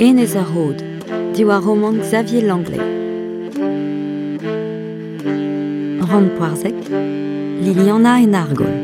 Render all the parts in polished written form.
Enez ar Rod, diwar romant Xavier Langlais. Rann Poarzek, Liliana en Argol.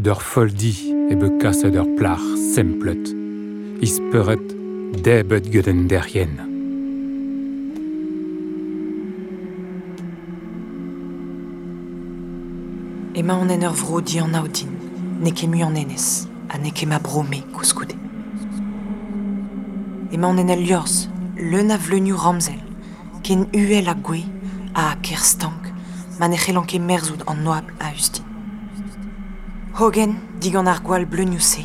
D'ur folldi e bet kaset ur plac'h semplet, ispeuret debet get un derien. Emaon en ur vro dianav din, n'eo ket mui an enez, ha n'eo ket ma bro-me koulskoude. Emaon en ul liorzh, leun a vleunioù ramzel, ken uhel ha gouez ha ker stank ma ne c'hellan ket merzout an oabl a-us din. Hogen, digant ar gwall bleunioù-se,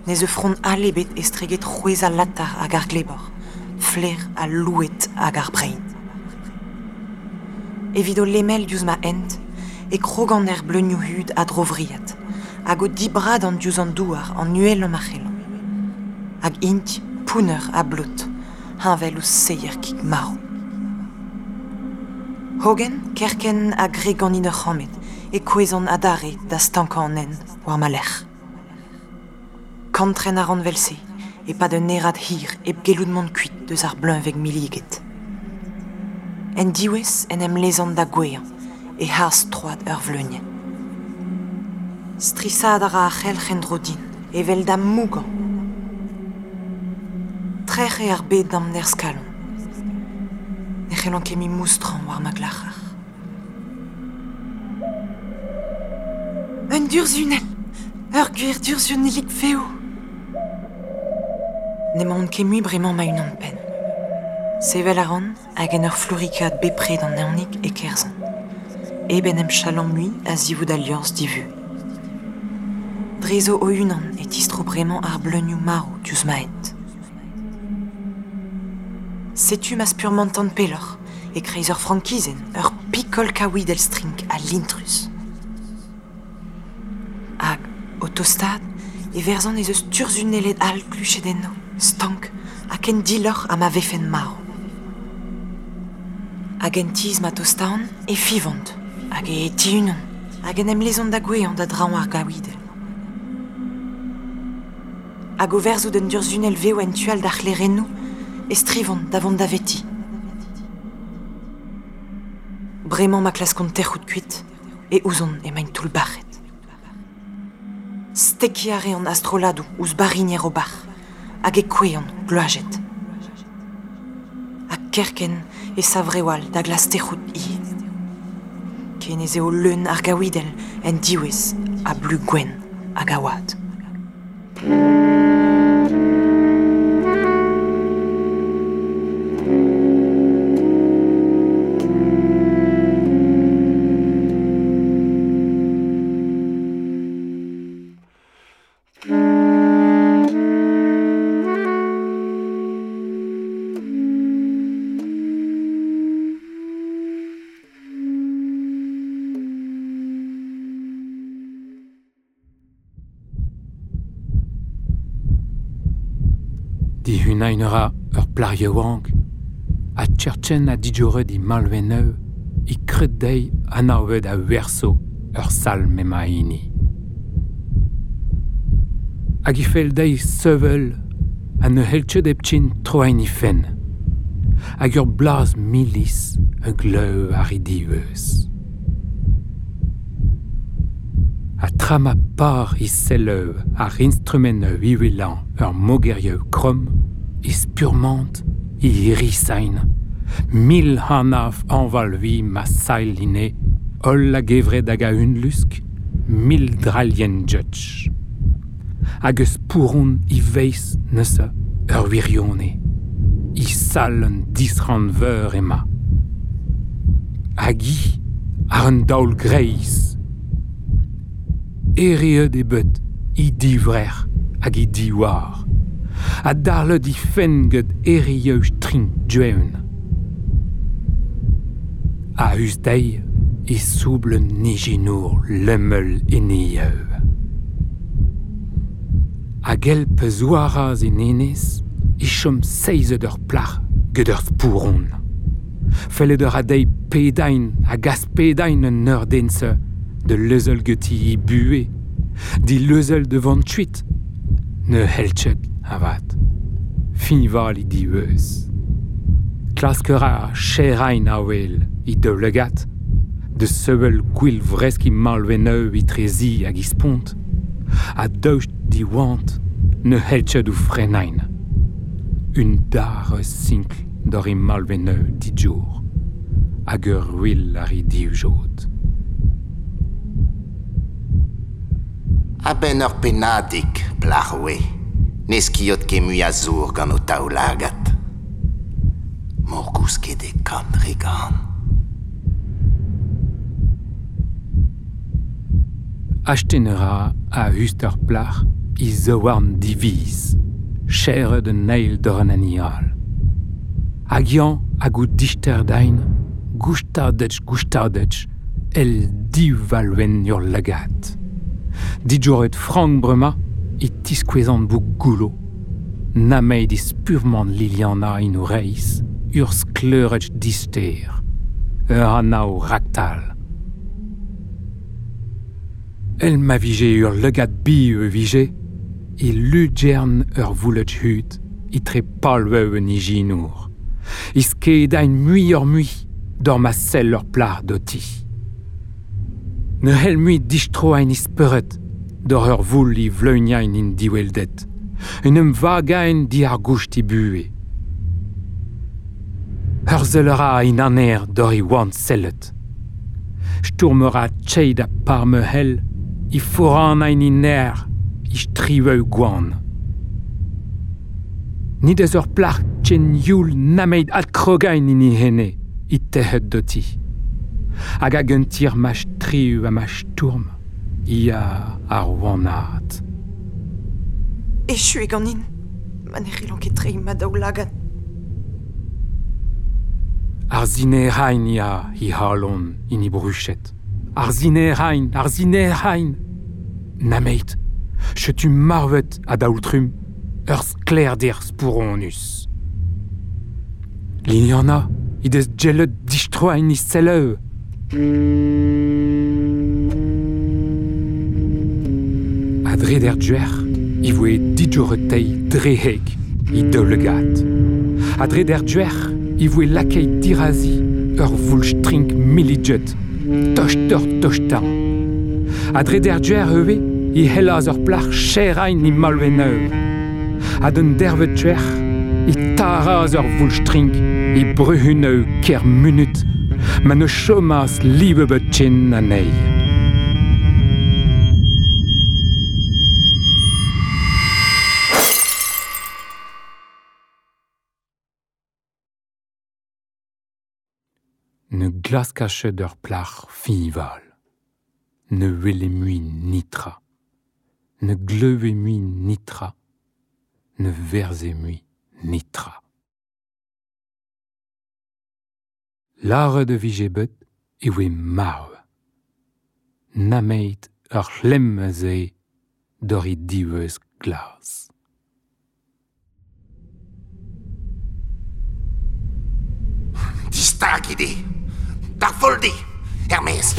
ne zeu frond all ebet estreget c'hwezh al latar hag ar glebor, flaer al louet hag ar brein. Evit o lemel diouzh ma hent, e krogan er bleunioù hud a-dro-vriad, hag o dibradan diouzh an douar an uhelañ ma c'hellan. Hag int pounner ha blot, heñvel ouzh seier kig marv. Hogen, kerkent ha graet ganin ur c'hammed, e kouezhan adarre da stankañ an hent war ma lerc'h. Kantren a ran 'vel-se, e-pad un herrad hir hep gellout mont kuit deus ar bleuñveg milliget. En diwezh en em lezan da gouezhañ e-harz troad ur vleunienn. Strishaat a ra ar c'helc'h en-dro din, evel da mougañ. Trec'h eo ar bed d'am nerzh-kalon. Ne c'hellan ket mui moustrañ war ma glac'har. Un durzhunell! Ur gwir durzhunellig vev! N'emaon ket mui bremañ ma-unan-penn. Sevel a ran hag en ur flourikaat bepred an evnig e kerzhan. Hep en em chalañ mui a-zivout al liorzh divu. Drezo o-unan e tistro bremañ ar bleunioù marv diouzh ma hent. Setu ma spurmantan pelloc'h, e-kreiz ur frankizenn, ur pikol kaouidell strink ha lintrus. Hag, o tostaat, e verzan ez eus turzhunelled all kluchet enno, stank ha ken diloc'h ha ma vefent marv. Hag en tizh ma tostaan e fivont, hag e tihunont, hag en em lezont da gouezhañ da draoñ ar gaouidell. Hag o verzout un durzhunell vev en tu all d'ar c'hlerennoù e strivont da vont daveti. Bremañ ma klaskont tec'hout kuit e ouzon emaint toullbac'het. Stekiñ a reont a-strolladoù ouzh barrinier o bac'h hag e kouezhont gloazet. Ha kerkent e sav reoù all da glask tec'hout ivez. Ken ez eo leun ar gaouidell en diwezh a blu gwenn hag a wad. Dihunañ a ra ur plac'h yaouank ha Cherchen ha digoret he malvennoù e kred dezhi anavet a-werso ur sal m'emañ hini. Hag e fell dezhi sevel ha ne c'hell ket hepken troiñ he fenn. Hag ur blaz milis a glev ar he diweuz. Ha tra ma par he selloù àr instrumentoù uhelañ ur mogerioù kromm, e spurmant he hirisain. 1000 hanaf hañval-vi ma sailh ine, holl a-gevret hag a-unlusk, 1000 drailhenn judge. Hag eus spouron he feiz neuze ur wirione. I sal un disran veur ema. Hag i ar un daol greiz. Ereet e bet i divrec'h hag i diwar. Ha darlet i fenn get erieu strink dueun. A us dezhi e soubl un nijinour lemmel enieu. Hag el pezouaraz en enez, e chom seizet ur plac'h get ur spouron. Fellet ur a deiz pedain hag aspedain un ur dense de leuzel geti i bue, di leuzel de vant chuit, ne helchet avat. Finval i diweuz. Klasker a cherain a wel i deulegat, de seuel gwil vresk i malveneu i trezi hag i spont, a daoust di oant ne helchet ou frenain. Un dar sinkl d'or i malveneu di djour, hag ur wil ar i divjod. A-benn ur pennadig, plac'h oe, ne skiot ket mui a zour gant o taoulagad. Morgousket e kant re gant. Achten ra a hust ur plac'h i zaouarn diviz, cheret un eil d'ur an anial. Hag yan hag o dichter dain, goustadetch goustadetch, el div valwen ur lagat. Dijoret frank brema e tiskouezant bou goulo. Nameid is purement Liliana in o reiz, ur skleuretch dister, ur anao raktal. El ma vije ur legad bi e vije, e ludgern ur vouletch hud, e tre palveu un ijinour. E skedain mui ur mui, d'or ma sell ur plar doti. Ne hell mui distroain ispeuret, d'or ur voul i vleuniain in diweldet. Un em vagain di ar goust i bue. Ur zeulera in aner d'or i oant sellet. Stourmera tcheid a par me hell, i foran ein in aer, i striveu gwan. Nid eus ur plac'h tchen youl nameid adkrogain in i hene, i tehet doti. Hag hag un tir ma striu ha ma stourm, i a ar oanat. Echu e ganin, ma ne c'hellan ket treiñ ma daoulagad. Ar zinerain ia hi halon in i bruchet. Ar zinerain, ar zinerain. Nameit, chetu marvet a daoultrum, ur sklerder spouronus. Liliana, i deus gellet distroain i selleu. A dre der duer, i voe dijoretei dreheg i deulegat. A dre der duer, i voe lakei dirazi ur voulstrink millijet, tochter tochtan. A dre der duer eue, i hellaz ur plac'h cherain i malveneu. A d'un dervet duer, i taraz ur voulstrink i bruhuneu ker munut, ma ne chomaz liebebet tchen anei. Ne glaskachet ur plac'h fiñval. Ne wele mui nitra. Ne gleuve mui nitra. Ne verze mui nitra. Lâret e vije bet e oe marv. Nameit ur c'hlemm a ze d'or i diweuz glas. Distag ide! D'ar foldi! Hermès!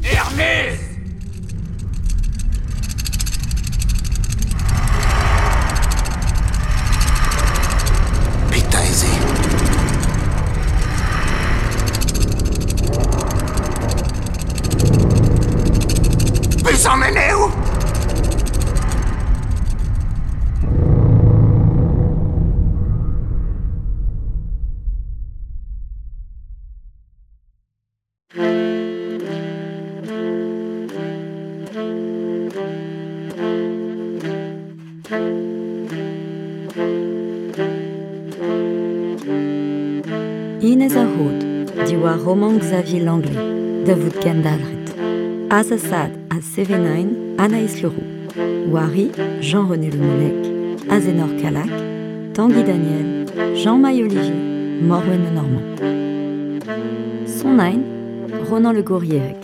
Hermès! Petra ez eo? Peus an eneoù? Buhez ar Rod, diwar romant Xavier Langlais, da vout kendalc'het. Azasad ha Sevenain, Anaïs Leroux. Wari, Jean-René Le Moulec, Azenor Calac, Tanguy Daniel, Jean-Maï Olivier, Morwen Le Normand. Sonain, Ronan Le Gourierec.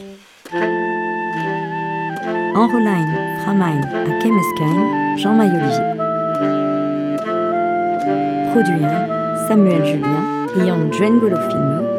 Enrolain, Framain ha Kemeskein, Jean-Maï Olivier. Produit Samuel Julien, Ian Dwengolo Filmeux.